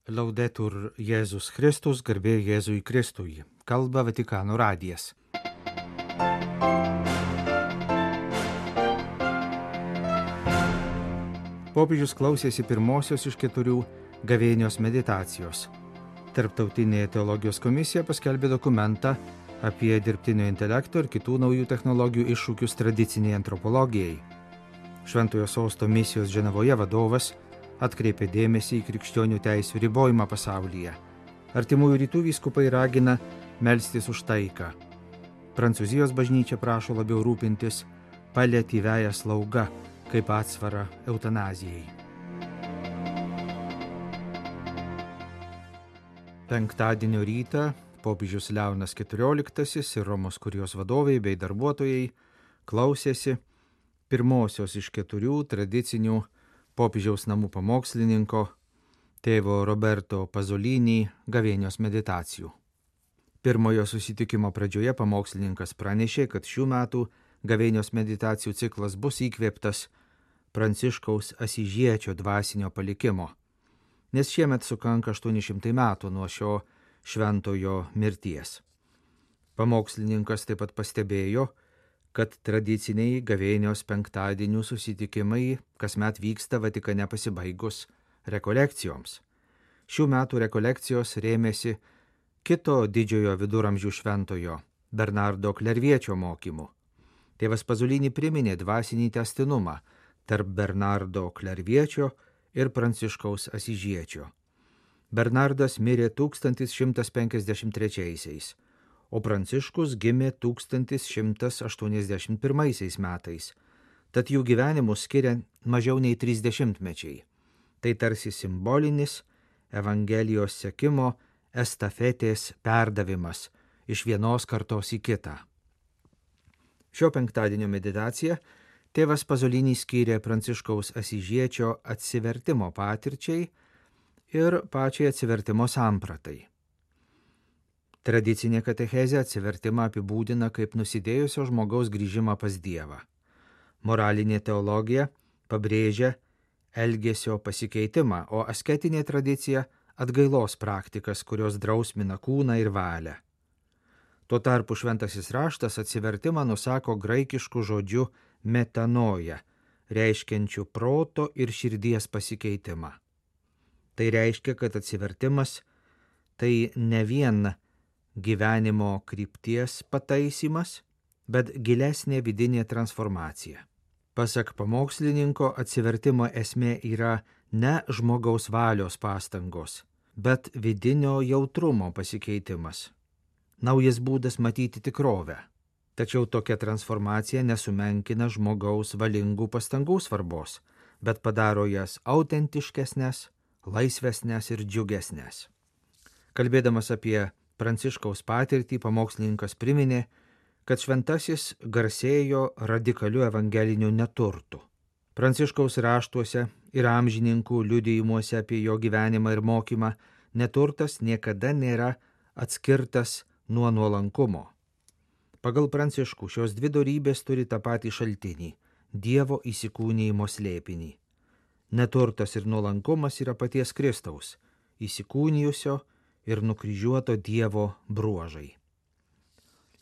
Laudetur Jėzus Kristus, garbė Jėzui Kristui. Kalba Vatikano radijas. Popiežius klausėsi pirmosios iš 4 gavėnios meditacijos. Tarptautinė teologijos komisija paskelbė dokumentą apie dirbtinio intelekto ir kitų naujų technologijų iššūkius tradiciniai antropologijai. Šventojo sosto misijos Ženevoje vadovas atkreipė dėmesį į krikščionių teisių ribojimą pasaulyje. Artimųjų rytų vyskupai ragina melstis už taiką. Prancūzijos bažnyčia prašo labiau rūpintis paliatyviąją slaugą kaip atsvarą eutanazijai. Penktadienio rytą popiežius Leonas XIV ir Romos kurijos vadovai bei darbuotojai klausėsi pirmosios iš 4 tradicinių popiežiaus namų pamokslininko tėvo Roberto Pasolini gavėnios meditacijų. Pirmojo susitikimo pradžioje pamokslininkas pranešė, kad šių metų gavėnios meditacijų ciklas bus įkvėptas Pranciškaus Asyžiečio dvasinio palikimo, nes šiemet sukanka 800 metų nuo šio šventojo mirties. Pamokslininkas taip pat pastebėjo, kad tradiciniai gavėnios penktadienių susitikimai kasmet vyksta Vatikane pasibaigus rekolekcijoms. Šių metų rekolekcijos rėmėsi kito didžiojo viduramžių šventojo Bernardo Klerviečio mokymu. Tėvas Pasolini priminė dvasinį tęstinumą tarp Bernardo Klerviečio ir Pranciškaus Asyžiečio. Bernardas mirė 1153, o Pranciškus gimė 1181 metais, tad jų gyvenimus skiria mažiau nei 30 mečiai. Tai tarsi simbolinis Evangelijos sekimo estafetės perdavimas iš vienos kartos į kitą. Šio penktadienio meditaciją tėvas Pasolini skyrė Pranciškaus Asyžiečio atsivertimo patirčiai ir pačiai atsivertimo sampratai. Tradicinė katechezė atsivertimą apibūdina kaip nusidėjusio žmogaus grįžimą pas Dievą. Moralinė teologija pabrėžia elgesio pasikeitimą, o asketinė tradicija atgailos praktikas, kurios drausmina kūną ir valią. Tuo tarpu šventasis raštas atsivertimą nusako graikišku žodžiu metanoja, reiškiančiu proto ir širdies pasikeitimą. Tai reiškia, kad atsivertimas tai ne vien gyvenimo krypties pataisymas, bet gilesnė vidinė transformacija. Pasak pamokslininko, atsivertimo esmė yra ne žmogaus valios pastangos, bet vidinio jautrumo pasikeitimas. Naujas būdas matyti tikrovę. Tačiau tokia transformacija nesumenkina žmogaus valingų pastangų svarbos, bet padaro jas autentiškesnės, laisvesnės ir džiugesnės. Kalbėdamas apie Pranciškaus patirtį, pamokslininkas priminė, kad šventasis garsėjo radikaliu evangeliniu neturtu. Pranciškaus raštuose ir amžininkų liudijimuose apie jo gyvenimą ir mokymą neturtas niekada nėra atskirtas nuo nuolankumo. Pagal Pranciškų šios dvi dorybės turi tą patį šaltinį – Dievo įsikūnijimo slėpinį. Neturtas ir nuolankumas yra paties Kristaus, įsikūnijusio ir nukryžiuoto Dievo bruožai.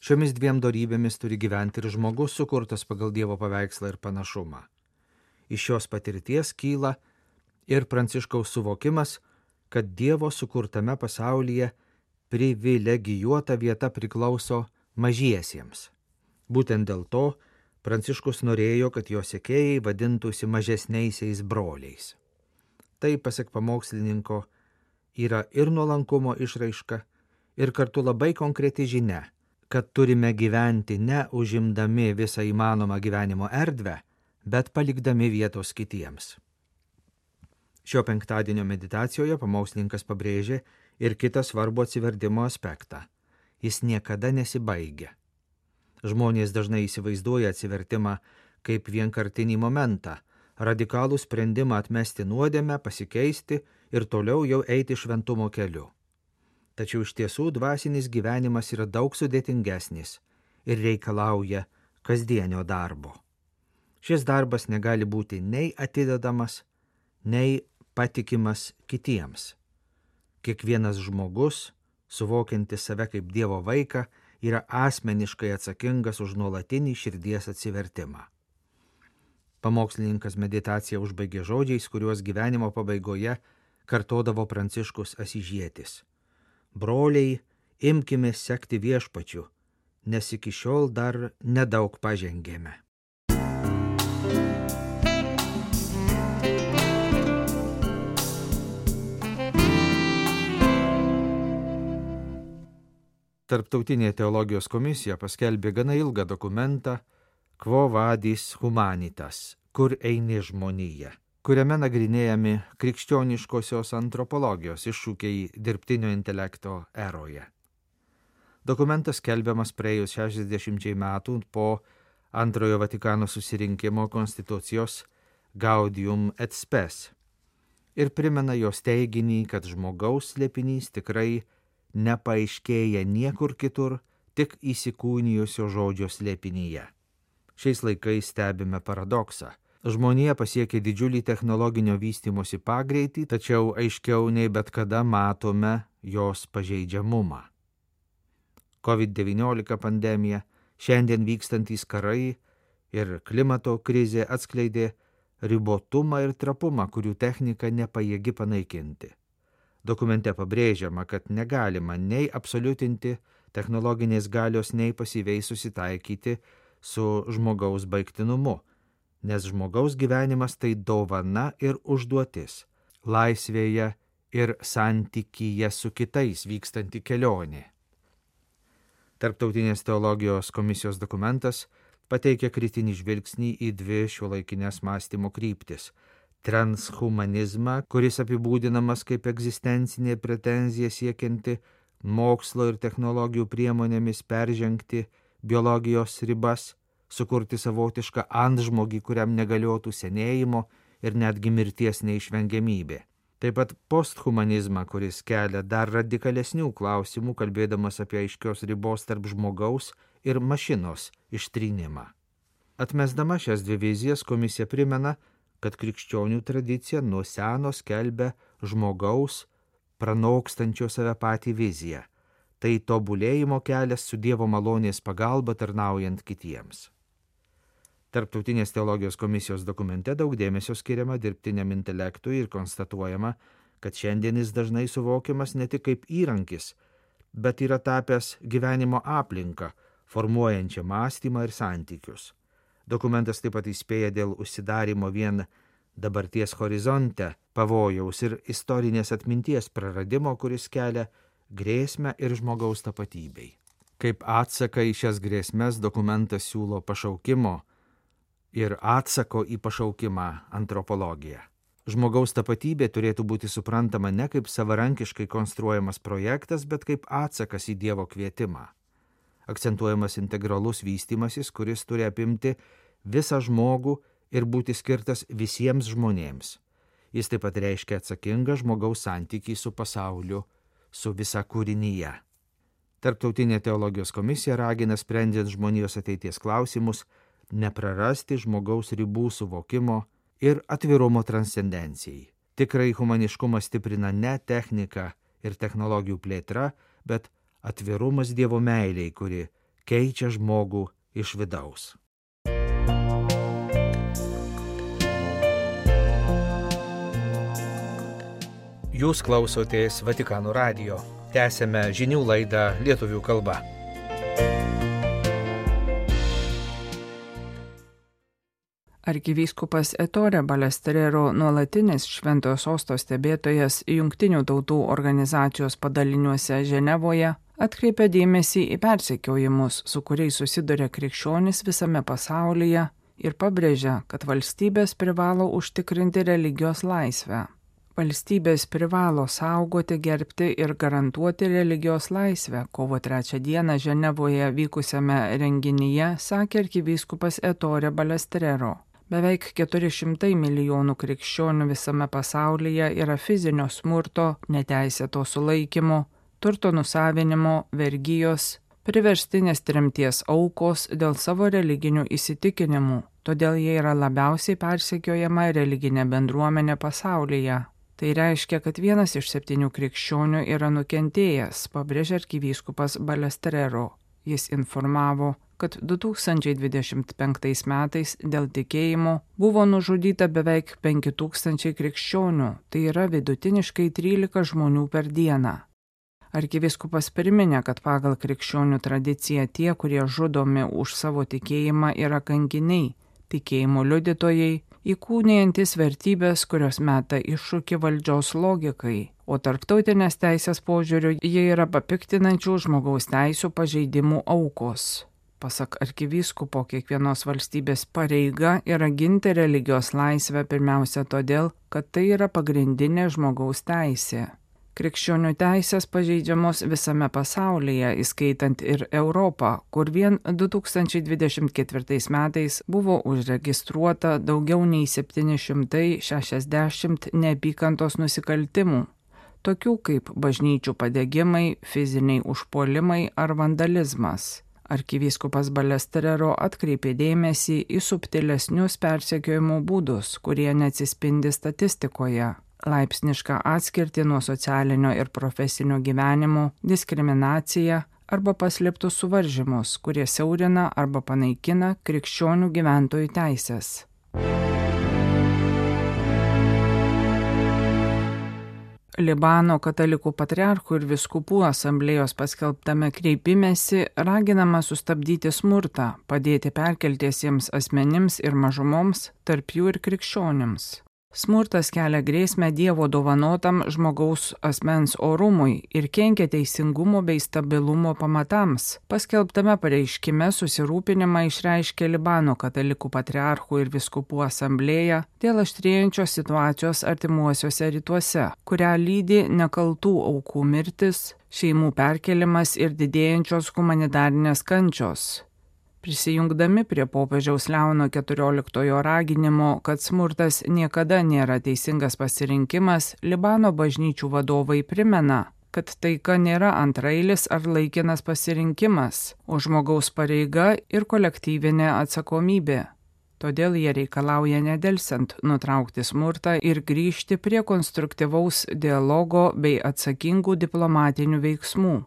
Šiomis dviem dorybėmis turi gyventi ir žmogus sukurtas pagal Dievo paveikslą ir panašumą. Iš šios patirties kyla ir Pranciškaus suvokimas, kad Dievo sukurtame pasaulyje privilegijuota vieta priklauso mažiesiems. Būtent dėl to Pranciškus norėjo, kad jo sekėjai vadintųsi mažesniaisiais broliais. Tai, pasak pamokslininko, yra ir nuolankumo išraiška, ir kartu labai konkreti žinia, kad turime gyventi ne užimdami visą įmanomą gyvenimo erdvę, bet palikdami vietos kitiems. Šio penktadienio meditacijoje pamokslininkas pabrėžė ir kitą svarbų atsivertimo aspektą. Jis niekada nesibaigia. Žmonės dažnai įsivaizduoja atsivertimą kaip vienkartinį momentą, radikalų sprendimą atmesti nuodėmę, pasikeisti ir toliau jau eiti šventumo keliu. Tačiau iš tiesų dvasinis gyvenimas yra daug sudėtingesnis ir reikalauja kasdienio darbo. Šis darbas negali būti nei atidedamas, nei patikimas kitiems. Kiekvienas žmogus, suvokiantis save kaip Dievo vaiką, yra asmeniškai atsakingas už nuolatinį širdies atsivertimą. Pamokslininkas meditaciją užbaigė žodžiais, kuriuos gyvenimo pabaigoje kartodavo Pranciškus Asyžietis. Broliai, imkime sekti Viešpačiu, nes iki šiol dar nedaug pažengėme. Tarptautinė teologijos komisija paskelbė gana ilgą dokumentą Quo vadis humanitas, kur eini žmonija, kuriame nagrinėjami krikščioniškosios antropologijos iššūkiai dirbtinio intelekto eroje. Dokumentas skelbiamas praėjus 60 metų po Antrojo Vatikano susirinkimo konstitucijos Gaudium et Spes ir primena jos teiginį, kad žmogaus slėpinys tikrai nepaaiškėja niekur kitur, tik įsikūnijusio žodžio slėpinyje. Šiais laikais stebime paradoksą. Žmonija pasiekė didžiulį technologinio vystymosi pagreitį, tačiau aiškiau nei bet kada matome jos pažeidžiamumą. COVID-19 pandemija, šiandien vykstantys karai ir klimato krizė atskleidė ribotumą ir trapumą, kurių technika nepajėgi panaikinti. Dokumente pabrėžiama, kad negalima nei absoliutinti technologinės galios, nei pasyviai susitaikyti su žmogaus baigtinumu, nes žmogaus gyvenimas tai dovana ir užduotis, laisvėje ir santykyje su kitais vykstanti kelionė. Tarptautinės teologijos komisijos dokumentas pateikia kritinį žvilgsnį į dvi šiuolaikinės mąstymo kryptis: transhumanizmą, kuris apibūdinamas kaip egzistencinė pretenzija siekianti mokslo ir technologijų priemonėmis peržengti biologijos ribas, sukurti savotišką antžmogį, kuriam negaliotų senėjimo ir netgi mirties neišvengiamybė. Taip pat posthumanizmą, kuris kelia dar radikalesnių klausimų, kalbėdamas apie aiškios ribos tarp žmogaus ir mašinos ištrynimą. Atmesdama šias dvi vizijas, komisija primena, kad krikščionių tradicija nuo seno skelbia žmogaus pranokstančio save patį viziją. Tai tobulėjimo kelias su Dievo malonės pagalba tarnaujant kitiems. Tarptautinės teologijos komisijos dokumente daug dėmesio skiriama dirbtiniam intelektui ir konstatuojama, kad šiandien jis dažnai suvokiamas ne tik kaip įrankis, bet yra tapęs gyvenimo aplinką, formuojančią mąstymą ir santykius. Dokumentas taip pat įspėja dėl užsidarimo vien dabarties horizonte, pavojaus ir istorinės atminties praradimo, kuris kelia grėsmę ir žmogaus tapatybei. Kaip atsaką į šias grėsmes dokumentas siūlo pašaukimo ir atsako į pašaukimą antropologiją. Žmogaus tapatybė turėtų būti suprantama ne kaip savarankiškai konstruojamas projektas, bet kaip atsakas į Dievo kvietimą. Akcentuojamas integralus vystymasis, kuris turi apimti visą žmogų ir būti skirtas visiems žmonėms. Jis taip pat reiškia atsakingą žmogaus santykį su pasauliu, su visa kūrinyje. Tarptautinė teologijos komisija ragina, sprendžiant žmonijos ateities klausimus, neprarasti žmogaus ribų suvokimo ir atvirumo transcendencijai. Tikrai humaniškumą stiprina ne technika ir technologijų plėtra, bet atvirumas Dievo meilei, kuri keičia žmogų iš vidaus. Jūs klausotės Vatikano radijo. Tęsėme žinių laidą lietuvių kalba. Arkivyskupas Ettore Balestrero, nuolatinis Šventojo Sosto stebėtojas Jungtinių tautų organizacijos padaliniuose Ženevoje, atkreipia dėmesį į persekiojimus, su kuriais susiduria krikščionys visame pasaulyje, ir pabrėžia, kad valstybės privalo užtikrinti religijos laisvę. Valstybės privalo saugoti, gerbti ir garantuoti religijos laisvę, kovo 3 dieną Ženevoje vykusiame renginyje sakė arkivyskupas Ettore Balestrero. Beveik 400 milijonų krikščionių visame pasaulyje yra fizinio smurto, neteisėto sulaikymo, turto nusavinimo, vergijos, priverstinės tremties aukos dėl savo religinių įsitikinimų, todėl jie yra labiausiai persekiojama religinė bendruomenė pasaulyje. Tai reiškia, kad 1 iš 7 krikščionių yra nukentėjęs, pabrėžė arkivyskupas Balestrero. Jis informavo, kad 2025 metais dėl tikėjimo buvo nužudyta beveik 5000 krikščionių, tai yra vidutiniškai 13 žmonių per dieną. Arkivyskupas priminė, kad pagal krikščionių tradiciją tie, kurie žudomi už savo tikėjimą, yra kankiniai, tikėjimo liudytojai, įkūnijantis vertybės, kurios meta iššūkį valdžios logikai, o tarptautinės teisės požiūriu jie yra papiktinančių žmogaus teisų pažeidimų aukos. Pasak arkivyskupo, kiekvienos valstybės pareiga yra ginti religijos laisvę pirmiausia todėl, kad tai yra pagrindinė žmogaus teisė. Krikščionių teisės pažeidžiamos visame pasaulyje, įskaitant ir Europą, kur vien 2024 metais buvo užregistruota daugiau nei 760 neapykantos nusikaltimų, tokių kaip bažnyčių padegimai, fiziniai užpuolimai ar vandalizmas. Arkivyskupas Balestrero atkreipė dėmesį į subtilesnius persekiojimo būdus, kurie neatsispindi statistikoje. Laipsnišką atskirtį nuo socialinio ir profesinio gyvenimo, diskriminaciją arba paslėptus suvaržymus, kurie siaurina arba panaikina krikščionių gyventojų teisės. Libano katalikų patriarchų ir vyskupų asamblėjos paskelbtame kreipimesi raginama sustabdyti smurtą, padėti perkeltiesiems asmenims ir mažumoms, tarp jų ir krikščionims. Smurtas kelia grėsmę Dievo dovanotam žmogaus asmens orumui ir kenkia teisingumo bei stabilumo pamatams. Paskelbtame pareiškime susirūpinimą išreiškė Libano katalikų patriarchų ir vyskupų asamblėja dėl aštrėjančios situacijos artimuosiuose rytuose, kurią lydi nekaltų aukų mirtis, šeimų perkelimas ir didėjančios humanitarinės kančios. Prisijungdami prie popiežiaus Leono XIV raginimo, kad smurtas niekada nėra teisingas pasirinkimas, Libano bažnyčių vadovai primena, kad taika nėra antrailis ar laikinas pasirinkimas, o žmogaus pareiga ir kolektyvinė atsakomybė. Todėl jie reikalauja nedelsiant nutraukti smurtą ir grįžti prie konstruktyvaus dialogo bei atsakingų diplomatinių veiksmų,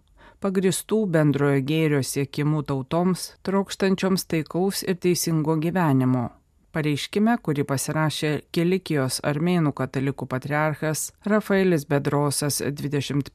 pagristų bendrojo gėrio siekimų tautoms, trokštančioms taikaus ir teisingo gyvenimo. Pareiškime, kurį pasirašė Kilikijos armėnų katalikų patriarchas Rafaelis Bedrosas 21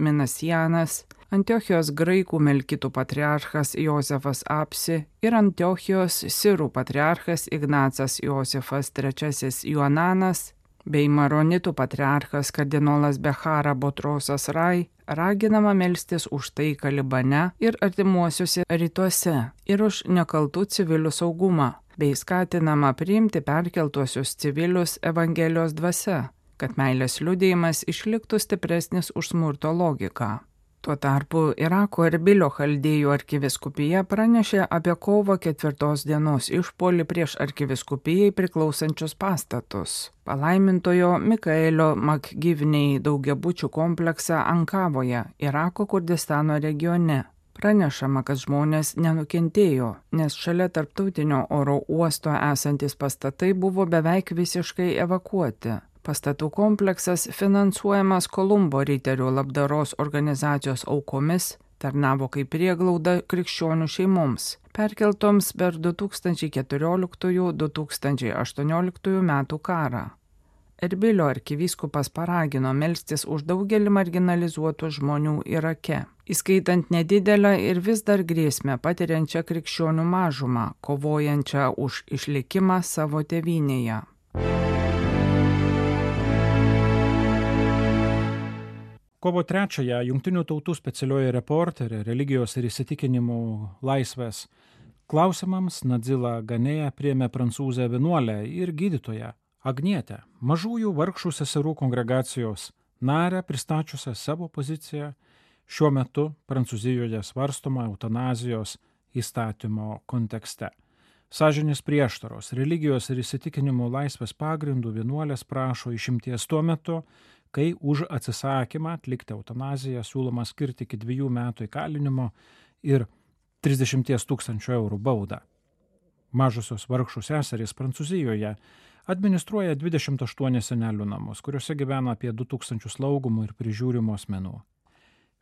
Minasianas, Antiochijos graikų melkitų patriarchas Jozefas Apsi ir Antiochijos sirų patriarchas Ignacas Josefas III Joananas bei maronitų patriarchas kardinolas Bechara Botrosas Rai raginama melstis už taiką Libane ir artimuosiuose rytuose ir už nekaltų civilių saugumą, bei skatinama priimti perkeltuosius civilius Evangelijos dvasia, kad meilės liudijimas išliktų stipresnis už smurto logiką. Tuo tarpu Irako Erbilio chaldėjų arkivyskupija pranešė apie kovo 4 dienos išpuolį prieš arkivyskupijai priklausančius pastatus. Palaimintojo Mikaelio Makgivnei daugiabučių kompleksą Ankavoje, Irako Kurdistano regione. Pranešama, kad žmonės nenukentėjo, nes šalia tarptautinio oro uosto esantis pastatai buvo beveik visiškai evakuoti. Pastatų kompleksas finansuojamas Kolumbo riterių labdaros organizacijos aukomis, tarnavo kaip prieglauda krikščionių šeimoms, perkeltoms per 2014-2018 metų karą. Erbilio arkivyskupas paragino melstis už daugelį marginalizuotų žmonių Irake, įskaitant nedidelę ir vis dar grėsmę patiriančią krikščionių mažumą, kovojančią už išlikimą savo tėvynėje. Kovo 3-ąją Jungtinių tautų specialioji reporterė religijos ir įsitikinimų laisvės klausimams Nadzila Ganėja priėmė prancūzę vienuolę ir gydytoją Agnietę, mažųjų vargšų seserų kongregacijos narę, pristačiusią savo poziciją šiuo metu Prancūzijoje svarstoma eutanazijos įstatymo kontekste. Sąžinės prieštaros, religijos ir įsitikinimų laisvės pagrindų vienuolės prašo išimties tuo metu, kai už atsisakymą atlikti eutanaziją siūloma skirti iki 2 metų įkalinimo ir 30 000 eurų baudą. Mažosios vargšų seserys Prancūzijoje administruoja 28 senelių namus, kuriuose gyvena apie 2000 slaugomų ir prižiūrimų asmenų.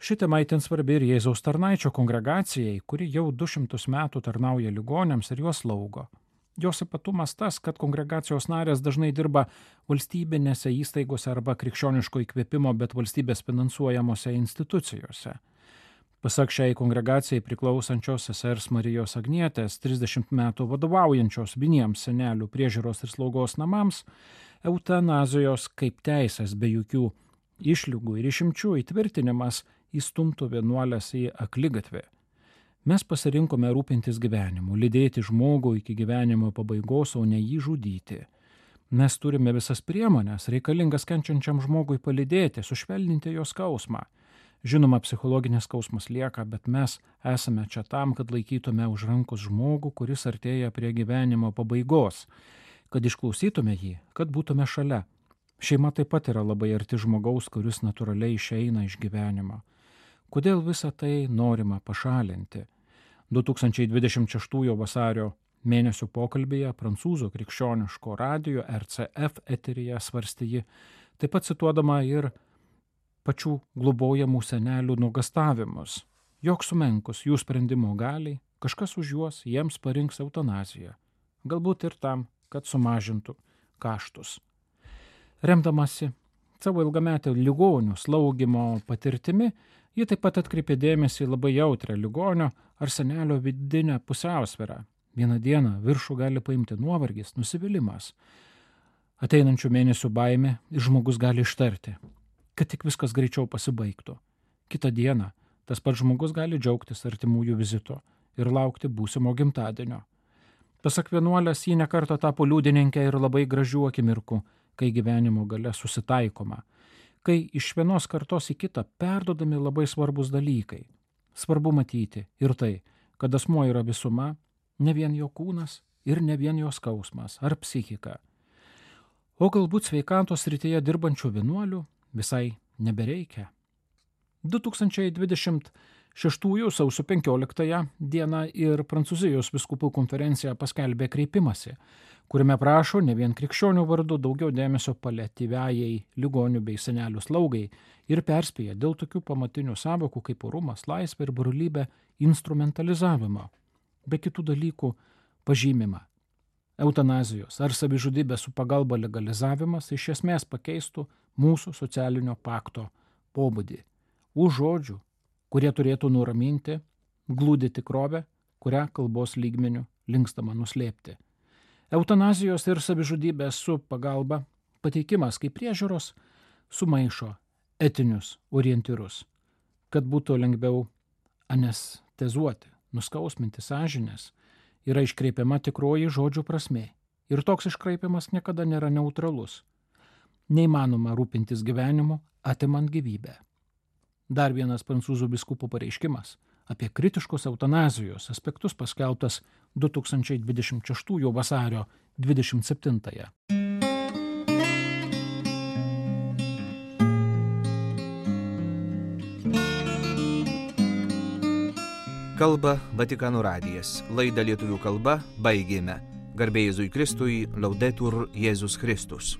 Ši tema itin svarbi ir Jėzaus tarnaičio kongregacijai, kuri jau 200 metų tarnauja ligoniams ir juos slaugo. Jos ypatumas tas, kad kongregacijos narės dažnai dirba valstybinėse įstaigose arba krikščioniško įkvėpimo, bet valstybės finansuojamose institucijose. Pasak šiai kongregacijai priklausančios sesers Marijos Agnietės, 30 metų vadovaujančios vieniems senelių priežiūros ir slaugos namams, eutanazijos kaip teisės be jokių išlygų ir išimčių įtvirtinimas įstumtų vienuolės į akligatvį. Mes pasirinkome rūpintis gyvenimu, lydėti žmogų iki gyvenimo pabaigos, o ne jį žudyti. Mes turime visas priemonės, reikalingas kenčiančiam žmogui palydėti, sušvelninti jo skausmą. Žinoma, psichologinis skausmas lieka, bet mes esame čia tam, kad laikytume už rankos žmogų, kuris artėja prie gyvenimo pabaigos, kad išklausytume jį, kad būtume šalia. Šeima taip pat yra labai arti žmogaus, kuris natūraliai išeina iš gyvenimo. Kodėl visą tai norima pašalinti? 2026 vasario mėnesio pokalbėje prancūzų krikščioniško radijo RCF eteryje svarstė ji, taip pat cituodama ir pačių globojamų senelių nuogastavimus. Jog sumenkus jų sprendimo galiai, kažkas už juos jiems parinks eutanaziją. Galbūt ir tam, kad sumažintų kaštus. Remdamasi savo ilgametę ligonių slaugimo patirtimi, ji taip pat atkreipė dėmesį labai jautrią ligonio ar senelio vidinę pusiausvyrą. Vieną dieną viršų gali paimti nuovargis, nusivylimas. Ateinančių mėnesių baimė ir žmogus gali ištarti, kad tik viskas greičiau pasibaigtų. Kitą dieną tas pats žmogus gali džiaugtis artimųjų vizito ir laukti būsimo gimtadienio. Pasak vienuolės, ji nekartą tapo liudininkė ir labai gražių akimirkų, kai gyvenimo gale susitaikoma, kai iš vienos kartos į kitą perdodami labai svarbus dalykai. Svarbu matyti ir tai, kad asmuo yra visuma, ne vien jo kūnas ir ne vien jo skausmas ar psichika. O galbūt sveikatos srityje dirbančių vienuolių visai nebereikia. 2026 sausio 15 dieną ir Prancūzijos vyskupų konferencija paskelbė kreipimąsi, kuriame prašo ne vien krikščionių vardu daugiau dėmesio paliatyviajai ligonių bei senelių slaugai ir perspėja dėl tokių pamatinių sąvokų kaip orumas, laisvė ir brolybė instrumentalizavimo, be kitų dalykų pažymimą. Eutanazijos ar savižudybės su pagalba legalizavimas iš esmės pakeistų mūsų socialinio pakto pobūdį. Už žodžių, kurie turėtų nuraminti, glūdi tikrovę, kurią kalbos lygmeniu linkstama nuslėpti. Eutanazijos ir savižudybės su pagalba pateikimas kaip priežiūros sumaišo etinius orientyrus, kad būtų lengviau anestezuoti, nuskausminti sąžinės, yra iškreipiama tikroji žodžių prasmė. Ir toks iškreipimas niekada nėra neutralus. Neįmanoma rūpintis gyvenimu, atimant gyvybę. Dar vienas prancūzų vyskupų pareiškimas apie kritiškos eutanazijos aspektus paskelbtas 2026 vasario 27. Kalba Vatikano radijas. Laidą lietuvių kalba baigėme. Garbė Jėzui Kristui, Laudetur Jėzus Kristus.